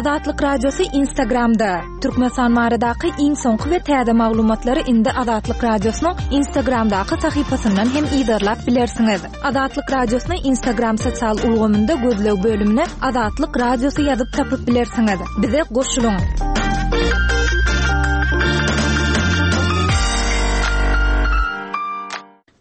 Azatlyk Radiosy Instagramda! Türkmenistan baradaky iň soňky we täze maglumatlary indi Azatlyk Radiosynyň Instagramdaky sahypasyndan hem yzarlap bilersiňiz. Azatlyk Radiosyny Instagram sosial ulgamynda gözleg bölümine Azatlyk Radiosy ýazyp tapyp bilersiňiz. Bize goşulyň!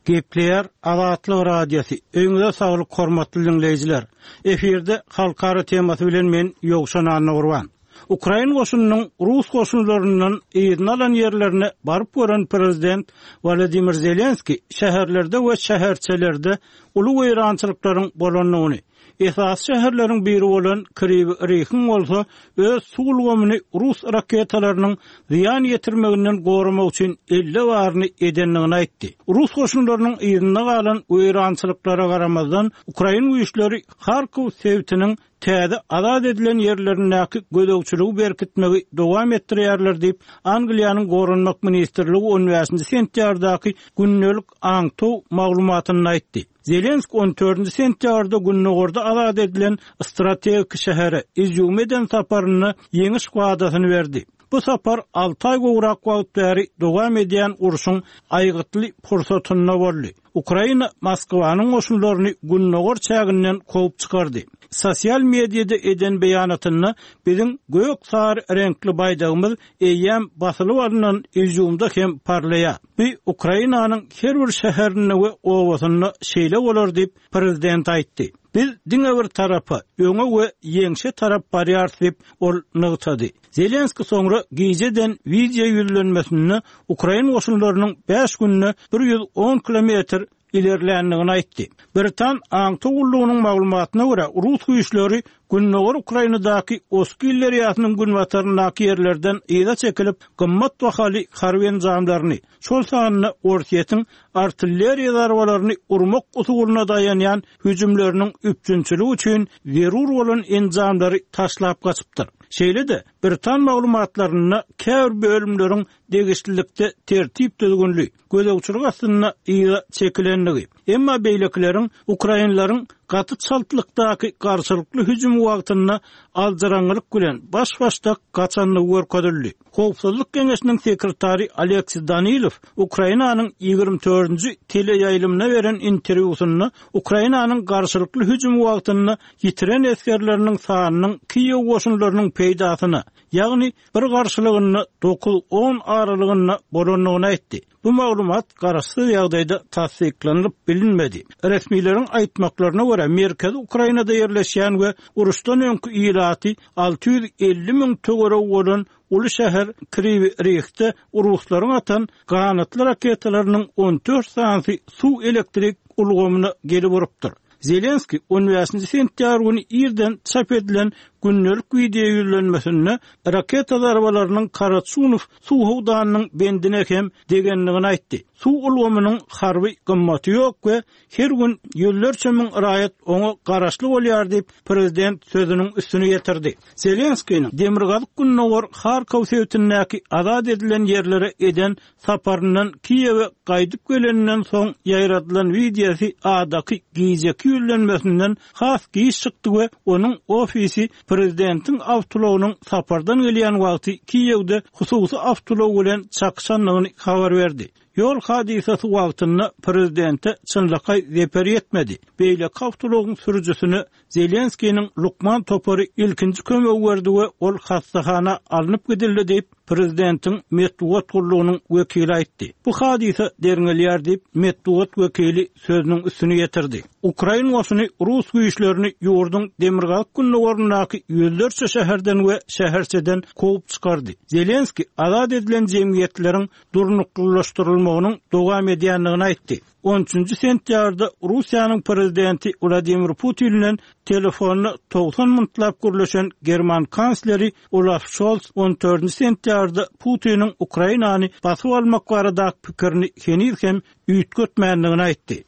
Gepleýär Azatlyk Radiosy, Öýüňize saglyk hormatly diňleýjiler! Efirde Halkara temasy bilen men Ýowşan Annagurban. Ukrain goşunynyň rus goşunlaryndan yzyna alan ýerlerine baryp gören prezident Wolodymyr Zelenskiý şäherlerde we şäherçelerde uly weýrançylyklaryň bolandygyny, Esasy şäherleriň biri bolan Kriwi Rihiň bolsa öz suw ulgamyny rus raketalarynyň zyýan ýetirmeginden goramak üçin elde baryny edendigini aýtdy. Rus goşunlarynyň yzynda galan weýrançylyklara garamazdan, ukrain güýçleri Harkow sebitiniň täze azat edilen ýerlerindäki gözegçiligi berkitmegi dowam etdirýärler diýip, Angliýanyň Goranmak ministrligi on bäşinji sentýabrdaky gündelik aňtaw maglumatynda aýtdy. Zelenskiý on dördünji sentýabrda gündogarda azat edilen strategik şähere, Izýume eden saparynda ýeňiş wadasyny berdi. Bu sapar alty aý gowrak wagt bäri dowam edýän urşuň aýgytly pursatynda boldy. Ukraina Moskwanyň goşunlaryny gündogar çäginden kowup çykardy. Sosial mediada eden beýanatynda biziň gök-sary reňkli baýdagymyz eýýäm basylyp alnan Izýumda hem parlaýar. Bu Ukrainanyň her bir şäherinde we obasynda şeýle bolar diýip, prezident aýtdy. Biz diňe bir tarapa, öňe we ýeňşe tarap barýarys diýip, ol nygtady. Zelenskiý soňra gije eden wideo ýüzlenmesinde ukrain goşunlarynyň bäş günde 110 kilometr ilerländigini aýtdy. Britan aňtaw gullugynyň maglumatyna görä, rus güýçleri gündogar Ukrainadaky Oskil derýasynyň günbataryndaky ýerlerden yza çekilip, gymmat bahaly harby enjamlaryny, şol sanda Orsýetiň artilleriýa zarbalaryny urmak usulyna daýanýan hüjümleriniň üpjünçiligi üçin zerur bolan enjamlary taşlap gaçypdyr. Şeýle-de, britan maglumatlarynda käbir bölümleriň degişlilikde tertip-düzgünli, gözegçilik astynda yza çekilendigi, emma beýlekileriň ukrainleriň gaty çaltlykdaky garşylykly hüjümi wagtynda aljyraňňylyk bilen baş-başdak gaçandygy görkezildi. Howpsuzlyk geňeşiniň sekretary Oleksiý Danilow Ukrainanyň 24-nji teleýaýlymyna beren interwýusynda Ukrainanyň garşylykly hüjümi wagtynda ýitiren esgerleriniň sanynyň Kiýew goşunlarynyň peýdasyna, ýagny bir garşylygynda dokuz-on aralygynda bolandygyny aýtdy. Bu maglumat garaşsyz ýagdaýda tassyklanylyp bilinmedi. Resmileriň aýtmaklaryna görä, merkezi Ukrainada ýerleşýän we uruşdan öňki ilaty 650 müň töweregi bolan uly şäher Kriwi Rihde ruslaryň atan ganatly raketalarynyň on dört sanysy suw elektrik ulgamyna gelip urupdyr. Zelenskiý on bäşinji sentýabr güni irden çap edilen gündelik wideo ýüzlenmesinde raketa zarbalarynyň Karaçunow suw howdanynyň bendine hem degendigini aýtdy. Suw ulgamynyň harby gymmaty ýok we her gün ýüzlerçe müň raýat oňa garaşly bolýar diýip, prezident sözüniň üstüni ýetirdi. Zelenskiniň demirgazyk-gündogar Harkow sebitindäki azat edilen ýerlere eden Saparyndan Kiýewe gaýdyp geleninden soň ýaýradylan wideosy adaky gijeki ýüzlenmesinden has giç çykdy we onuň ofisi prezidentiň awtoulagynyň sapardan gelýän wagty Kiýewde hususy awtoulag bilen çakyşandygyny habar berdi. Ýol hadysasy wagtynda prezidente çynlakaý zeper ýetmedi. Beýleki awtoulagyň sürüjisine Zelenskiniň lukman topary ilkinji kömegi berdi we ol hassahana alnyp gidildi diýip, prezidentiň metbugat gullugynyň wekili aýtdy. Bu hadysa derňelýär diýip, metbugat wekili sözüniň üstüni ýetirdi. Ukrain goşuny rus güýçlerini ýurduň demirgazyk-gündogaryndaky ýüzlerçe şäherden we şäherçeden kowup çykardy. Zelenskiý azat edilen jemgyýetleriň durnuklylaşdyrylmagynyň dowam edýändigini aýtdy. On üçünji sentýabrda Russiýanyň prezidenti Wladimir Putin bilen telefonda 90 minutlap gürleşen german kansleri Olaf Şolz on dördünji sentýabrda Putiniň Ukrainany basyp almak baradaky pikirini heniz hem üýtgetmändigini aýtdy.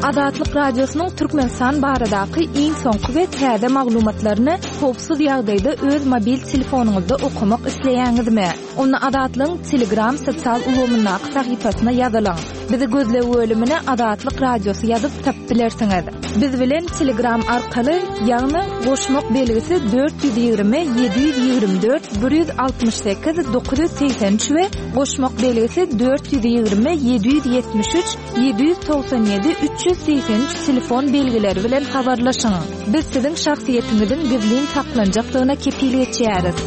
Azatlyk Radiosynyň Türkmenistan baradaky iň soňky we täze maglumatlaryny. howpsuz ýagdaýda öz mobil telefonyňyzda okamak isleýäňizmi? Onda Azatlygyň Telegram sosial ulgamyndaky sahypasyna ýazylyň. Bizi gözleg bölümine Azatlyk Radiosy ýazyp tapyp bilersiňiz. Biz bilen Telegram arkaly, ýagny goşmak belgisi 420 724 168 983 we goşmak belgisi 420 773 797 383 telefon belgileri bilen habarlaşyň. Biz siziň şahsyýetiňiziň gizlin saklanjakdygyna kepil geçýäris.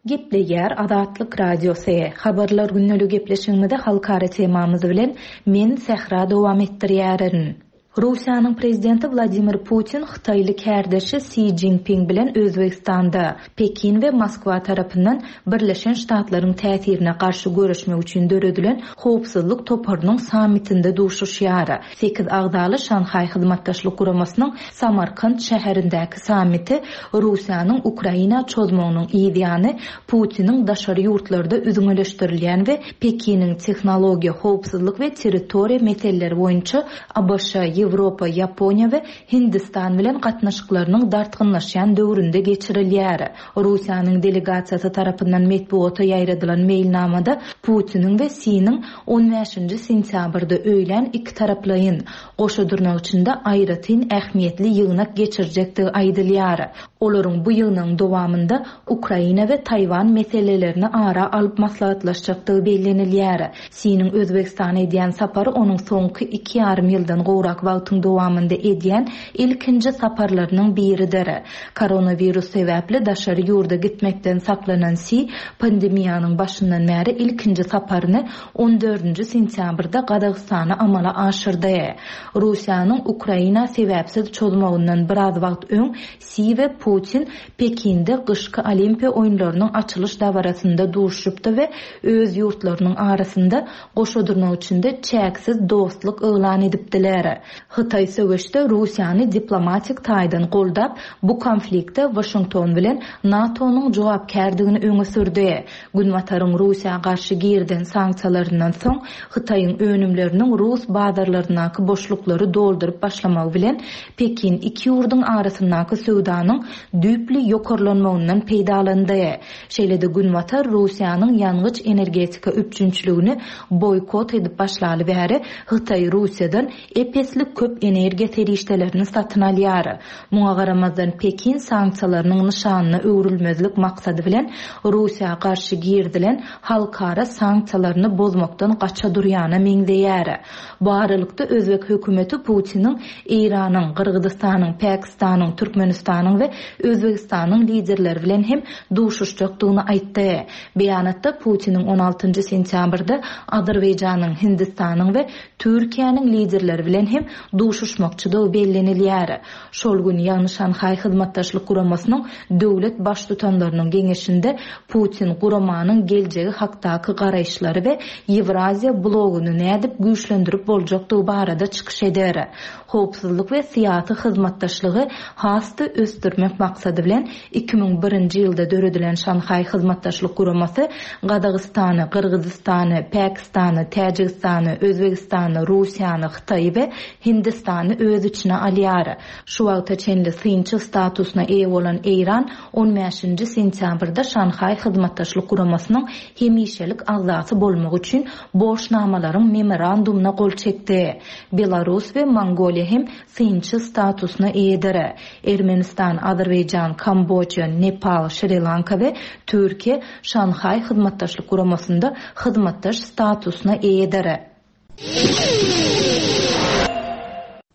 Gepleýär Azatlyk Radiosy. Habarlar gündeligi gepleşigimizi halkara temamyz bilen men Sähra dowam etdirýärin. Russiýanyň Prezidenti Wladimir Putin hytaýly kärdeşi Si Jinping bilen Özbegistanda, Pekin we Moskwa tarapyndan Birleşen Ştatlaryň täsirine garşy göreşmek üçin döredilen Howpsuzlyk toparynyň sammitinde duşuşýar. Sekiz agzaly Şanhaý Hyzmatdaşlyk Guramasynyň Samarkant şäherindäki sammiti Russiýanyň Ukraina çozmagynyň yz ýany Putiniň daşary ýurtlarda üzňeleşdirilýän we Pekiniň tehnologiýa, howpsuzlyk we territoriýa meseleleri boýunça ABŞ, Ýewropa, Ýaponiýa we Hindistan bilen gatnaşyklarynyň dartgynlaşýan döwründe geçirilýär. Russiýanyň delegasiýasy tarapyndan metbugata ýaýradylan meýilnamada Putiniň we Siniň on bäşinji sentýabrda öýlän ikitaraplaýyn, goşa dyrnak içinde aýratyn ähmiýetli ýygnak geçirjekdigi aýdylýar. Olaryň bu ýygnagyň dowamynda Ukraina we Taýwan meselelerini ara alyp maslahatlaşjakdygy bellenilýär. Siniň Özbegistana edýän sapary onuň soňky iki ýarym ýyldan gowrak wagtyň dowamynda edýän ilkinji saparlarynyň biridir. Koronawirus sebäpli daşary ýurda gitmekden saklanan Si pandemiýanyň başyndan bäri ilkinji saparyny on dördünji sentýabrda Gazagystana amala aşyrdy. Russiýanyň Ukraina sebäpsiz çozmagyndan biraz wagt öň Si we Putin Pekinde gyşky Olimpiýa oýunlarynyň açylyş dabarasynda duşuşypdy we öz ýurtlarynyň arasynda goşa dyrnak içinde çäksiz dostluk yglan edipdiler. Hytaý söweşde Russiýany diplomatik taýdan goldap, bu konfliktde Waşington bilen NATO-nyň jogapkärdigini öňe sürdi. Günbataryň Russiýa garşy girizen sanksiýalaryndan soň, Hytaýyň önümleriniň rus bazarlaryndaky boşluklary dolduryp başlamagy bilen, Pekin iki ýurduň arasyndaky söwdanyň düýpli ýokarlanmagyndan peýdalandy. Şeýle-de Günbatar Russiýanyň ýangyç-energetika üpjünçiligini boýkot edip başlaly bäri Hytaý Russiýadan ep-esli köp energiýa serişdelerini satyn alýar. Muňa garamazdan Pekin sanksiýalarynyň nyşanyna öwrülmezlik maksady bilen Russiýa garşy girizilen halkara sanksiýalaryny bozmakdan gaça durýana meňzeýär. Bu aralykda özbek hökümeti Putiniň Eýranyň, Gyrgyzystanyň, Päkistanyň, Türkmenistanyň we Özbegistanyň liderleri bilen hem duşuşjakdygyny aýtdy. Beýanatda Putiniň on altynjy sentýabrda Azerbaýjanyň, Hindistanyň we Türkiýäniň liderleri bilen hem duşuşmakçydygy bellenilýär. Şol gün, ýagny Şanhaý Hyzmatdaşlyk Guramasynyň döwlet Baştutanlarynyň geňeşinde Putin guramanyň geljegi hakdaky garaýyşlary we Ýewraziýa bloguny nädip güýçlendirip boljakdygy barada çykyş eder. Howpsuzlyk we syýasy hyzmatdaşlygy has-da ösdürmek maksady bilen 2001-nji ýylda döredilen Şanhaý Hyzmatdaşlyk Guramasy Gazagystany, Gyrgyzystany, Päkistany, Täjigistany, Özbegistany, Russiýany, Hytaýy we Hindistany öz içine alýar. Şu wagta çenli synçy statusyna eýe bolan Eýran on bäşinji sentýabrda Şanhaý Hyzmatdaşlyk Guramasynyň hemişelik agzasy bolmak üçin borçnamalaryň memorandumyna gol çekdi. Belarus we Mongoliýa hem synçy statusyna eýedir. Ermenistan, Azerbaýjan, Kamboja, Nepal, Şri-Lanka we Türkiýe Şanhaý Hyzmatdaşlyk Guramasynda hyzmatdaş statusyna eýedir.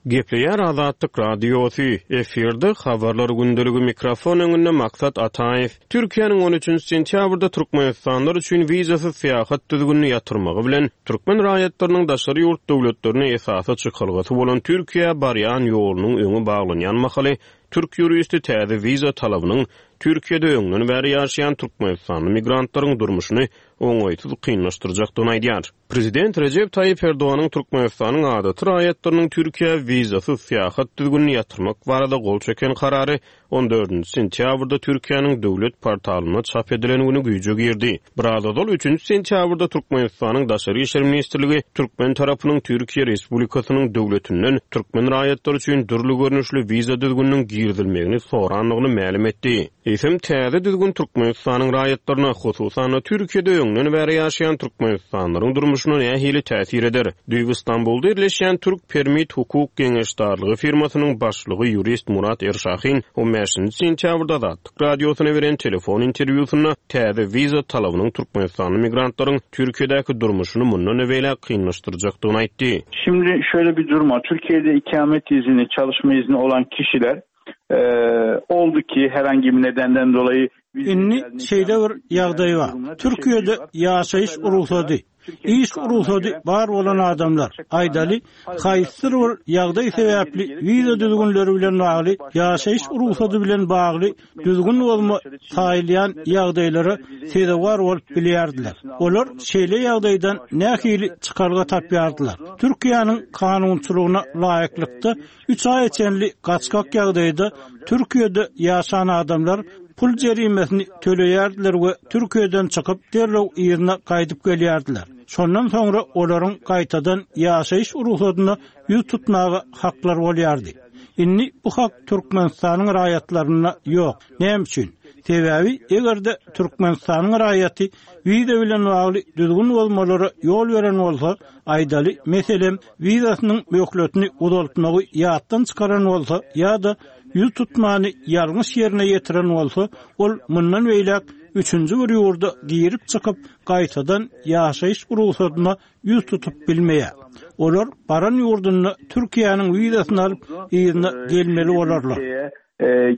Gepleýär Azatlyk Radiosy, efirde Habarlar gündeligi mikrofon öňünde Maksat Ataýew. Türkiýäniň on üçünji sentýabrda türkmenistanlylar üçin wizasyz syýahat düzgünini ýatyrmagy bilen, türkmen raýatlarynyň daşary ýurt döwletlerine esasy çykalgasy bolan Türkiýä barýan ýolunyň öňi baglanýan mahaly, türk ýuristi täze wiza talabynyň Türkiýede öňden bäri ýaşaýan türkmenistanly migrantlaryň durmuşyny oňaýsyz kynlaşdyrjakdygyny aýdýar. Prezident Rejep Taýyp Erdoganyň Türkmenistanyň adaty raýatlarynyň Türkiýä wizasyz syýahat düzgünini ýatyrmak barada gol çeken karary on dördünji sentýabrda Türkiýäniň döwlet portalynda çap edilen güni güýje girdi. Biraz ozal, üçünji sentýabrda Türkmenistanyň Daşary işler ministrligi türkmen tarapynyň Türkiýe Respublikasynyň döwletinden türkmen raýatlary üçin dürli görnüşli wiza düzgüniniň. girizilmegini sorandygyny mälim etdi. Eýsem, täze düzgün Türkmenistanyň raýatlaryna, hususan-da, Türkiýede öňden bäri ýaşaýan türkmenistanlylaryň durmuşyna nähili täsir eder? Düýbi Stambulda ýerleşýän Türk Permit hukuk geňeşdarlygy firmasynyň başlygy ýurist Murat Erşahin on bäşinji sentýabrda Azatlyk Radiosyna beren telefon interwýusynda täze wiza talabynyň türkmenistanly migrantlaryň Türkiýedäki durmuşyny mundan beýläk kynlaşdyrjakdygyny aýtdy. Şimdi şöyle bir durum var. Türkiye'de ikamet izni, çalışma izni olan kişiler Oldu ki herhangi bir nedenden dolayı Indi şeýle bir ýagdaý bar. Türkiýede ýaşaýyş rugsady, iş rugsady bar bolan adamlar, aýdaly, haýsydyr bir ýagdaý sebäpli wiza düzgünleri bilen bagly ýaşaýyş rugsady bilen bagly düzgün bozma saýylýan ýagdaýlara sezewar bolup bilýärdiler. Olar şeýle ýagdaýdan nähili çykalga tapýardylar? Türkiýäniň kanunçylygyna laýyklykda, Üç aýa çenli gaçgak ýagdaýda Türkiýede ýaşan adamlar pul jerimesini töleýärdiler we Türkiýeden çykyp, derrew yzyna gaýdyp gelýärdiler. Şondan soňra olaryň gaýtadan ýaşaýyş rugsadyna ýüz tutmaga haklary bolýardy. Indi bu hak Türkmenistanyň raýatlarynda ýok. Näme üçin? Sebäbi eger-de Türkmenistanyň raýaty wiza bilen bagly düzgün bozmalara ýol beren bolsa, aýdaly, meselem, wizasynyň möhletini uzaltmagy ýatdan çykaran bolsa ýa-da ýüz tutmany ýalňyş ýerine ýetiren bolsa, ol mundan beýläk üçünji bir ýurda girip-çykyp, gaýtadan ýaşaýyş rugsadyna ýüz tutup bilmeýär. Olar baran ýurdunda Türkiýäniň wizasyny alyp, yzyna gelmeli bolarlar.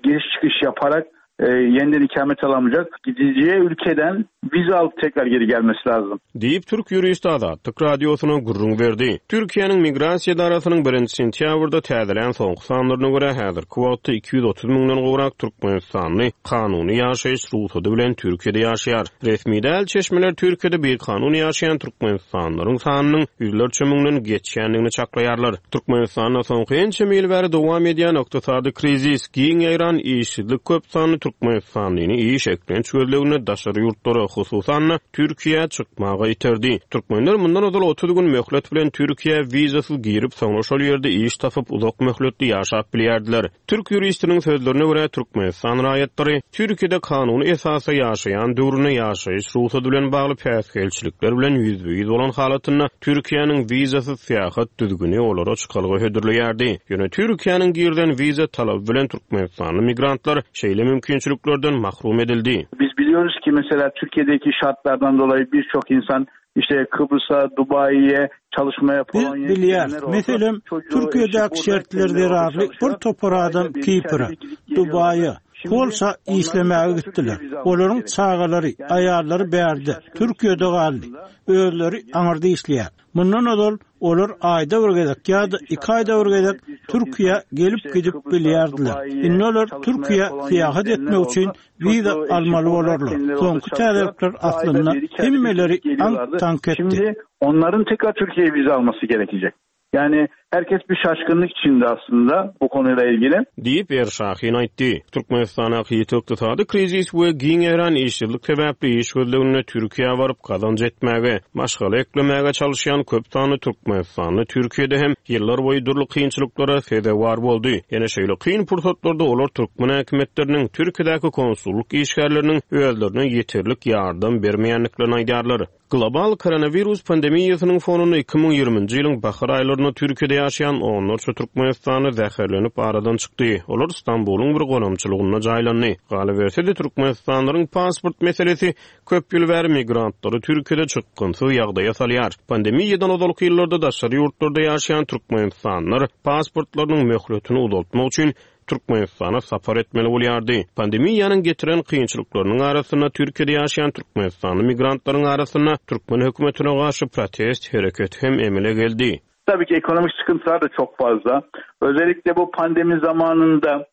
Giriş-çykyş ýaparak Yeniden ikamet alamayacak. Gideceği ülkeden vize alyp tekrar geri gelmesi lazym. Diýip, türk ýuristi Azatlyk Radiosyna gürrüň berdi. Türkiýäniň Migrasiýa edarasynyň birinji sentýabrda täzelän soňky sanlaryna görä, häzirki wagtda 230 müňden gowrak türkmenistanly kanuny ýaşaýyş rugsady bilen Türkiýede ýaşaýar. Resmi däl çeşmeler Türkiýede bikanun ýaşaýan türkmenistanlylaryň sanynyň ýüzlerçe müňden geçýändigini çaklaýarlar. Türkmenistanda soňky ençeme ýyl bäri dowam edýän ykdysady krizis, giň ýaýran işsizlik köp sanly türkmenistanlyny iş, eklenç gözleginde daşary ýurtlara, hususan-da, Türkiýä çykmaga iterdi. Türkmenler mundan ozal 30 gün möhlet bilen Türkiýä wizasyz girip, soňra şol ýerde iş tapyp, uzak möhletli ýaşap bilýärdiler. Türk ýuristiniň sözlerine görä, Türkmenistan raýatlary Türkiýede kanuny esasda ýaşaýan döwründe ýaşaýyş rugsady bilen bagly päsgelçilikler bilen ýüzbe-ýüz bolan halatynda Türkiýäniň wizasyz syýahat düzgüni olara çykalga hödürleýärdi. Ýöne Türkiýäniň girizen wiza talaby bilen türkmenistanly migrantlar şeýle mümkinçiliklerden mahrum edildi. Biz biliyoruz ki mesela Türkiye'deki şartlardan dolayı birçok insan İşte Kıbrıs'a, Dubai'ye çalışmaya Biz bilýäris, meselem, Türkiýedäki şertler zerarly bir topar adam Kipre, Dubaýa, Polşa işlemäge gitdiler. Olaryň çagalary, aýallary bärde, Türkiýede galdy. Özleri aňyrda işleýär. Mundan ozal olar aýda bir gezek ýa-da iki aýda bir gezek Türkiýä gelip-gidip bilýärdiler. Indi olar Türkiýä syýahat etmek üçin Wiza almaly bolarlar. Soňky täzelikler aslynda hemmeleri aňk-taňk etdi. Şimdi onların tekrar Türkiye'ye vize alması gerekecek. Yani herkes bir şaşkınlık içinde aslında bu konuyla ilgili. Diýip, Erşahin aýtdy. Türkmenistana ýiti ykdysady krizis we giň ýaýran işsizlik sebäpli iş gözleginde Türkiýä baryp gazanç etmäge, maşgala eklemäge çalyşýan köp sanly türkmenistanly Türkiýede hem ýyllar boýy dürli kynçylyklara sezewar boldy. Ýene şeýle kyn pursatlarda olar türkmen häkimiýetleriniň, Türkiýedäki konsullyk işgärleriniň özlerine ýeterlik ýardam bermeýändiklerini aýdýarlar. Global koronawirus pandemiýasynyň fonunda 2020-nji ýylyň bahar aýlarynda Türkiýede ýaşaýan onlarça türkmenistanly zäherlenip aradan çykdy. Olar Stambulyň bir gonamçylygynda jaýlandy. Galyberse-de, türkmenistanlylaryň pasport meselesi Köp ýyl bäri migrantlary Türkiýede çykgynsyz ýagdaýa salýar. Pandemiýadan ozalky ýyllarda daşary ýurtlarda ýaşaýan türkmenistanlylar pasportlarynyň möhletini uzaltmak üçin Türkmenistana sapar etmeli bolýardy. Pandemiýanyň getiren kynçylyklarynyň arasynda Türkiýede ýaşaýan türkmenistanly migrantlaryň arasynda türkmen hökümetine garşy protest hereketi hem emele geldi. Tabii ki ekonomik sıkıntılar da çok fazla. Özellikle bu pandemi zamanında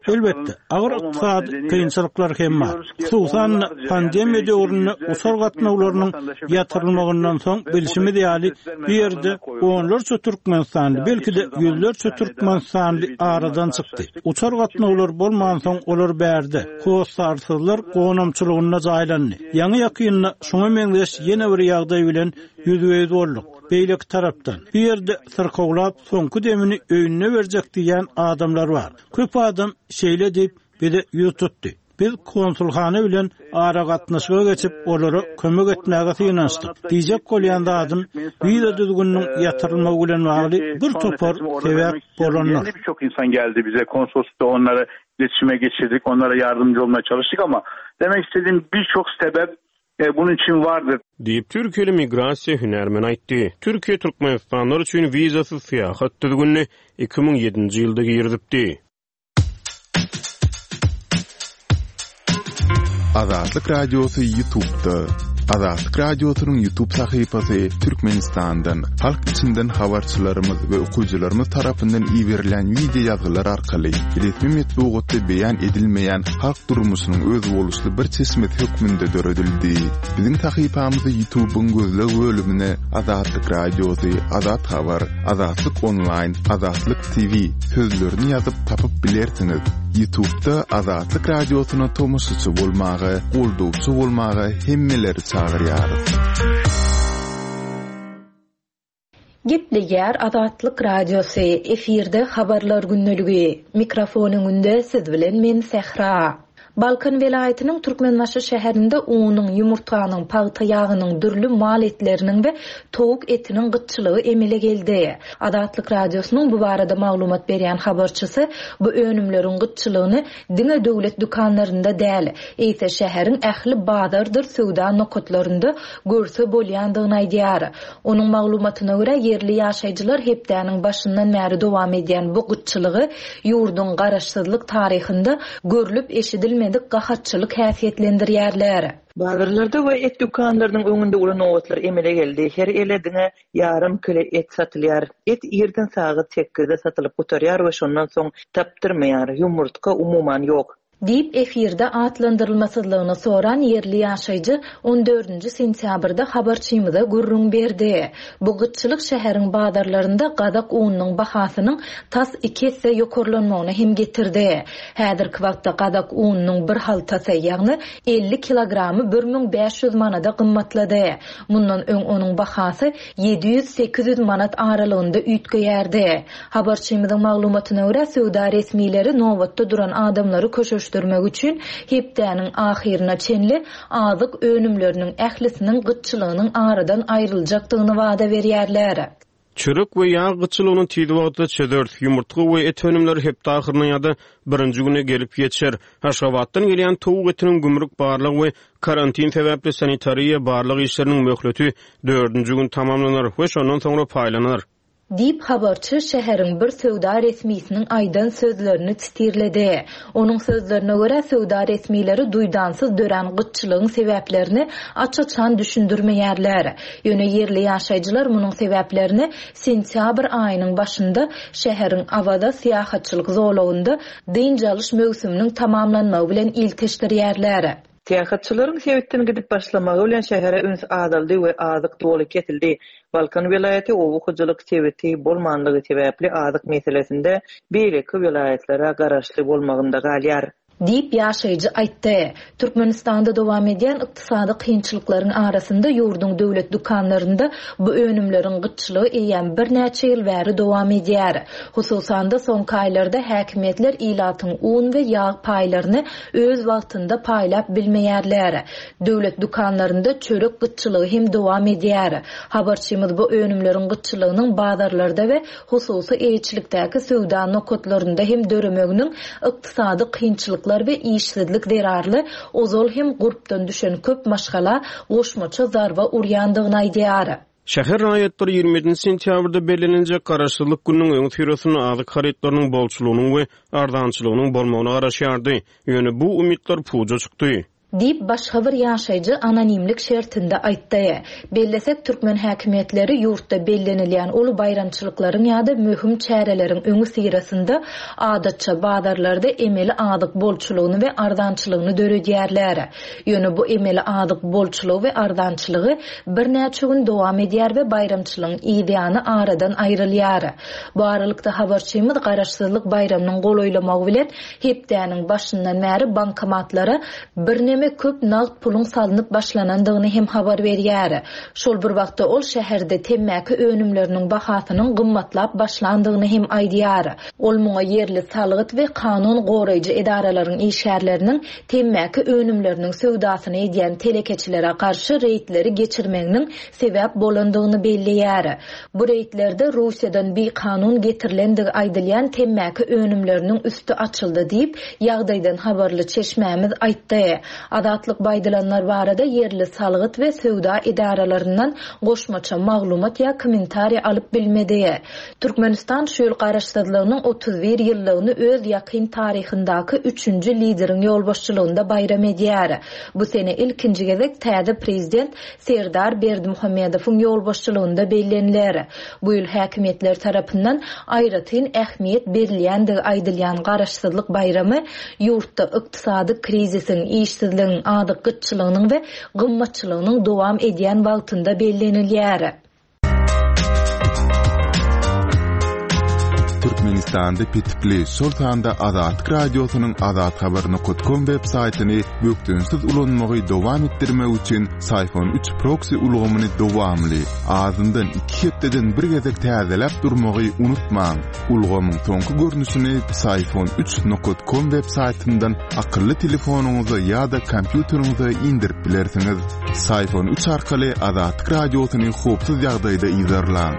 Elbetde, agyr ykdysady kynçylyklar hem bar. Hususan-da, pandemiýa döwründe uçar gatnawlarynyň ýatyrylmagyndan soň, bilşimiz ýaly, bu ýerde onlarça türkmenistanly, belki-de, ýüzlerçe türkmenistanly aradan çykdy. Uçar gatnawlary bolmansoň, olar bärde, hossarsyzlar gonamçylygynda jaýlandy. Ýaňy-ýakynda şuňa meňzeş ýene bir ýagdaý bilen. ýüzbe-ýüz bolduk. Beýleki tarapdan, bu ýerde syrkawlap, soňky demini öýünde berjek diýýän adamlar bar. Köp adam şeýle diýip, bize ýüz tutdy. Biz konsulhana bilen aragatnaşyga geçip, olara kömek etmäge synanyşdyk. Diýjek bolýan zadym, wiza düzgüniniň ýatyrylmagy bilen bagly bir topar sebäp bolandyr. Birçok insan geldi bize konsoloslukda onlara iletişime geçirdik, onlara yardımcı olmaya çalıştık ama demek istediğim birçok sebep bunun için vardır. Diýip, türkiýeli migrasiýa hünärmeni aýtdy. Türkiýe türkmenistanlylar üçin wizasyz syýahat düzgünini 2007-nji ýylda girizipdi. Azatlyk Radiosy Ýutubda. Azatlyk Radiosynyň Ýutub sahypasy Türkmenistandan, halk içinden habarçylarymyz we okyjylarymyz tarapyndan iberilen wideo ýazgylar arkaly resmi metbugatda beýan edilmeýän halk durmuşynyň özboluşly bir çeşmesi hökmünde döredildi. Biziň sahypamyzy Ýutubyň gözleg bölümine Azatlyk Radiosy, Azat Habar, Azatlyk Onlaýn, Azatlyk TV sözlerini ýazyp tapyp bilersiňiz. Ýutubda Azatlyk Radiosyna tomaşaçy bolmaga, goldawçy bolmaga hemmeleri çagyrýarys. Gepleýär Azatlyk Radiosy, efirde Habarlar gündeligi. Mikrofon öňünde siz bilen men Sähra. Balkan welaýatynyň Türkmenbaşy şäherinde unuň, ýumurtganyň, pagta ýagynyň, dürli mal etleriniň we towuk etiniň gytçylygy emele geldi. Azatlyk Radiosynyň bu barada maglumat berýän habarçysy bu önümleriň gytçylygyny diňe döwlet dükanlarynda däl, eýse şäheriň ähli bazardyr söwda nokatlarynda görse bolýandygyny aýdýar. Onuň maglumatyna görä, ýerli ýaşaýjylar hepdäniň başyndan bäri dowam edýän bu gytçylygy ýurduň garaşsyzlyk taryhynda görlüp-eşidilmedik gahatçylyk häsiýetlendirýärler. Bazarlarda we et dükanlarynyň öňünde uly nobatlar emele geldi. Her ele diňe ýarym kile et satylýar. Et irden sagat sekizde satylyp gutarýar we şondan soň tapdyrmaýar. Ýumurtga umuman ýok. Diýip, efirde atlandyrylmasyzlygyny soran ýerli ýaşaýjy on dördünji sentýabrda habarçymyza gürrüň berdi. Bu gytçylyk şäheriň bazarlarynda gazak ununyň bahasynyň tas iki esse ýokarlanmagyna hem getirdi. Häzirki wagtda gazak ununyň bir haltasy, ýagny 50 kilogramy 1500 manada gymmatlady. Mundan öň onuň bahasy 700-800 manat aralygynda üýtgeýärdi. Habarçymyzyň maglumatyna görä, söwda resmileri nobatda duran adamlary köşeşdirmek üçin hepdäniň ahyryna çenli azyk önümleriniň ählisiniň gytçylygynyň aradan aýryljakdygyny wada berýärler. Çörek we ýag gytçylygyny tiz wagtda çözeris. Ýumurtga we et önümleri hepde ahyryna ýa-da birinji güne gelip ýetişer. Aşgabatdan gelýän towuk etiniň gümrük barlag we karantin sebäpli sanitariýa barlag işleriniň möhleti dördünji gün tamamlanar we şondan soňra paýlanar. Diýip, habarçy şäheriň bir söwda resmisiniň aýdan sözlerini sitirledi. Onuň sözlerine görä, söwda resmileri duýdansyz dörän gytçylygyň sebäplerini aç-açan düşündirmeýärler. Ýöne ýerli ýaşaýjylar munuň sebäplerini sentýabr aýynyň başynda şäheriň Awaza syýahatçylyk zolagynda dynç alyş möwsüminiň tamamlanmagy bilen ilteşdirýärler. Syýahatçylaryň sebitden gidip başlamagy bilen şähere üns azaldy we azyk doly kesildi. Balkan welaýaty oba hojalyk sebiti bolmanlygy sebäpli azyk meselesinde beýleki welaýatlara garaşly bolmagynda galýar. Diýip, ýaşaýjy aýtdy. Türkmenistanda dowam edýän ykdysady kynçylyklaryň arasynda ýurduň döwlet dükanlarynda bu önümleriň gytçylygy eýýäm birnäçe ýyl bäri dowam edýär. Hususan-da, soňky aýlarda häkimiýetler ilatyň un we ýag paýlaryny öz wagtynda paýlap bilmeýärler. Döwlet dükanlarynda çörek gytçylygy hem dowam edýär. Habarçymyz bu önümleriň gytçylygynyň bazarlarda we hususy eýeçilikdäki söwda nokatlarynda hem döremeginiň ykdysady kynçylyklar we işsizlik zerarly ozal hem gurpdan düşen köp maşgala goşmaça zarba urýandygyny aýdýar. Şäher raýatlary 27 sentýabrda belleniljek Garaşsyzlyk gününiň öňüsyrasynda azyk harytlarynyň bolçulygynyň we arzançylygynyň bolmagyna garaşýardy. Ýöne bu umytlar puja çykdy. Diýip, başga bir ýaşaýjy anonimlik şertinde aýtdy. Bellesek, türkmen häkimiýetleri ýurtda bellenilýän uly baýramçylyklaryň ýa-da möhüm çäreleriň öňüsyrasynda, adatça, bazarlarda emeli azyk bolçulygyny we arzançylygyny döredýärler. Ýöne bu emeli azyk bolçulygy we arzançylygy birnäçe gün dowam edýär we baýramçylygyň yzýany aradan aýrylýar. Bu aralykda habarçymyz Garaşsyzlyk baýramynyň golaýlamagy bilen hepdäniň başyndan bäri bankomatlara birneme. Birneme köp nagt puluň salnyp başlanandygyny hem habar berýär. Şol bir wagtda ol şäherde temmäki önümleriniň bahasynyň gymmatlap başlandygyny hem aýdýar. Ol muňa ýerli salgyt we kanun goraýjy edaralaryň işgärleriniň temmäki önümleriniň söwdasyny edýän telekeçilere garşy reýdleri geçirmeginiň sebäp bolandygyny belleýär. Bu reýdlerde Russiýadan bikanun getirilendigi aýdylýan temmäki önümleriniň üsti açyldy diýip, ýagdaýdan habarly çeşmämiz aýtdy. Azatlyk bu aýdylanlar barada ýerli salgyt we söwda edaralaryndan goşmaça maglumat ýa kommentariý alyp bilmedi. Türkmenistan şu ýyl Garaşsyzlygynyň 31 ýyllygyny öz ýakyn taryhyndaky üçünji lideriň ýolbaşçylygynda baýram edýär. Bu sene ilkinji gezek täze prezident Serdar Berdimuhamedowyň ýolbaşçylygynda belleniler. Bu ýyl häkimiýetler tarapyndan aýratyn ähmiýet berilýändigi aýdylýan Garaşsyzlyk baýramy ýurtda ykdysady krizisiň, işsizligiň, azyk gytçylygynyň we gymmatçylygynyň dowam edýän wagtynda bellenilýär. Türkmenistanda petikli, şol sanda Azatlyk Radiosynyň azathabar nokat kom web saýtyny bökdençsiz ulanmagy dowam etdirmek üçin Syphon 3 proksi ulgamyny dowamly, azyndan iki hepdeden bir gezek täzeläp durmagy unutmaň. Ulgamyň soňky görnüşini Syphon 3 nokat kom web saýtyndan akylly telefonyňyza ýa-da kompýuteriňize indirip bilersiňiz. Syphon 3 arkaly Azatlyk Radiosyny howpsuz ýagdaýda yzarlaň.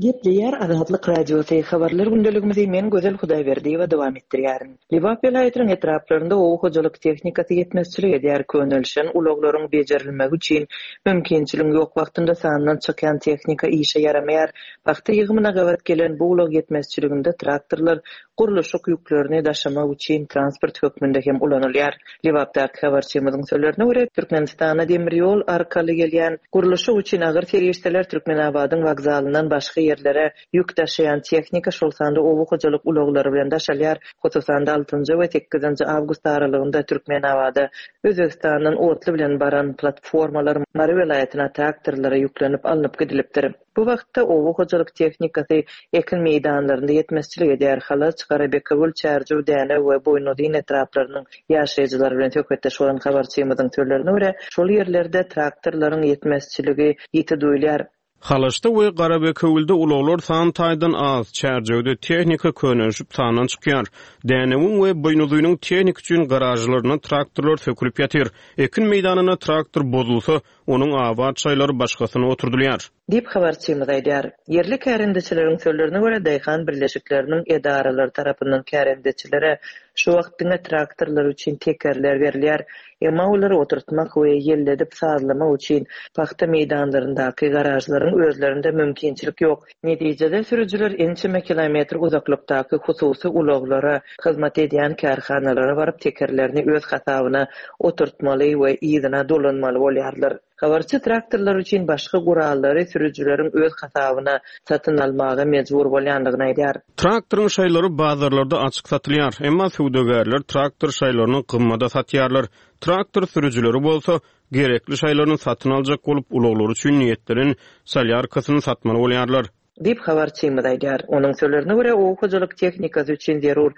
Gepleýär Azatlyk Radiosy, Habarlar gündeligimizi men Gözel Hudaýberdiýewa dowam etdirýärin. Lebap welaýatynyň etraplarynda oba hojalyk tehnikasy ýetmezçilik edýär, könelişen ulaglaryň bejerilmegi üçin mümkinçiligiň ýok wagtynda sandan çykýan tehnika işe ýaramaýar. Pagta ýygymyna gabat gelen bu ulag ýetmezçiliginde traktorlar gurluşyk ýüklerini daşamak üçin transport hökmünde hem ulanylýar. Lebapdaky habarçymyzyň sözlerine görä, Türkmenistana demir ýol arkaly gelýän gurluşyk üçin agyr serişdeler Türkmenabadyň wokzalyndan başga ýerlere ýük daşaýan tehnika, şol sanda oba hojalyk ulaglary bilen daşalýar. Hususan-da, altynjy we sekizinji awgust aralygynda Türkmenabada Özbegistandan otly bilen baran platformalar Mary welaýatyna traktorlara ýüklenip alnyp gidilipdir. Bu wagtda oba hojalyk tehnikasy ekin meýdanlarynda ýetmezçilik edýär. Halaç, Garabekewül, Çärjew, Dänew we Boýnuzyn etraplarynyň ýaşaýjylary bilen söhbetdeş bolan habarçymyzyň sözlerine görä, şol ýerlerde traktorlaryň ýetmezçiligi ýiti duýulýar. Halaçda we Garabekewülde ulaglar san taýdan az, Çärjewde tehnika könelişip sandan çykýar. Dänewiň we Boýnuzynyň tehnika üçin garažlarynda traktorlar sökülip ýatyr. Ekin meýdanynda traktor bozulsa, Onuň abat şaýlary başgasyna oturdylýar. Diýip, habarçymyz aýdýar. Ýerli kärendeçileriň sözlerine görä, daýhan birleşikleriniň edaralary tarapyndan kärendeçilere şu wagt diňe traktorlar üçin tekerler berilýär. Emma olary oturtmak we ýelledip sazlamak üçin pagta meýdanlaryndaky garažlaryň özlerinde mümkinçilik ýok. Netijede, sürüjiler ençeme kilometr uzaklykdaky hususy ulaglara hyzmat edýän kärhanalara baryp, tekerlerini öz hasabyna oturtmaly we yzyna dolanmaly bolýarlar. Habarçy traktorlar üçin başga gurallary sürüjileriň öz hasabyna satyn almaga mejbur bolýandygyny aýdýar. Traktoryň şaýlary bazarlarda açyk satylýar. Emma söwdagärler traktor şaýlaryny gymmada satýarlar. Traktor sürüjileri bolsa, Gerekli şaýlaryny satyn aljak bolup, ulaglary üçin niýetlenen solýarkasyny satmaly bolýarlar. Diýip, habarçymyz aýdýar. Onuň sözlerine görä, oba hojalyk tehnikasy üçin zerur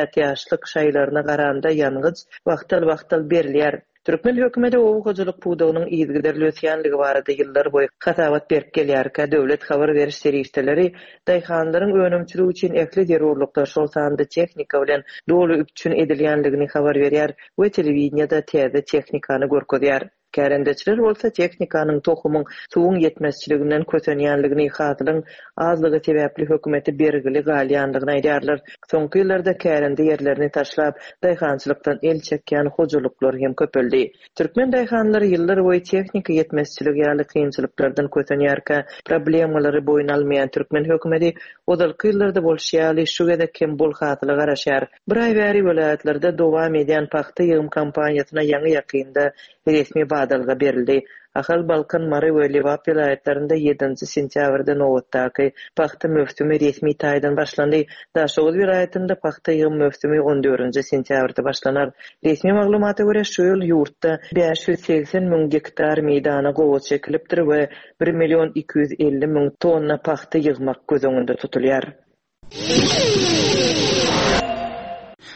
ätiýaçlyk şaýlaryna garanda ýangyç wagtal-wagtal berilýär. Türkmen hökümeti oba hojalyk pudagynyň yzygiderli ösýänligi barada ýyllarboýy hasabat berip gelýärkä, döwlet habar beriş serişdeleri daýhanlaryň önümçiligi üçin ähli zerurlyklar, şol sanda tehnika bilen doly üpjün edilýänligini habar berýär. we telewideniýede täze tehnikany görkezýär. Kärendeçiler bolsa tehnikanyň, tohumyň, suwuň ýetmezçiliginden kösenýänligini, hasylyň azlygy sebäpli hökümete bergili galýandygyny aýdýarlar. Soňky ýyllarda kärende ýerlerini taşlap, daýhançylykdan el çekýän hojalyklar hem köpeldi. Türkmen daýhanlary ýyllarboýy tehnika ýetmezçiligi ýaly kynçylyklardan kösenýärkä, problemalary boýun almaýan türkmen hökümeti ozalky ýyllarda bolşy ýaly, şu gezek hem bol hasyla garaşýar. Bir aý bäri welaýatlarda dowam edýän pagta ýygym kampaniýasyna ýaňy-ýakynda resmi badalga berildi. Ahal, Balkan, Mary we Lebap welaýatlarynda ýedinji sentýabrda nobatdaky pagta möwsümi resmi taýdan başlandy. Daşoguz welaýatynda pagta ýygym möwsümi on dördünji sentýabrda başlanar. Resmi maglumata görä, şu ýyl ýurtda 580 müň gektar meýdana gowaça ekilipdir we bir million 250 müň tonna pagta ýygmak göz öňünde tutulýar.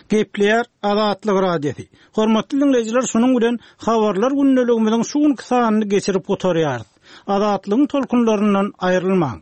Gepleýär Azatlyk Radiosy. Hormatly diňleýjiler, şunuň bilen Habarlar gündeligimiziň şu günki sanyny geçirip gutarýarys. Azatlygyň tolkunlaryndan aýrylmaň.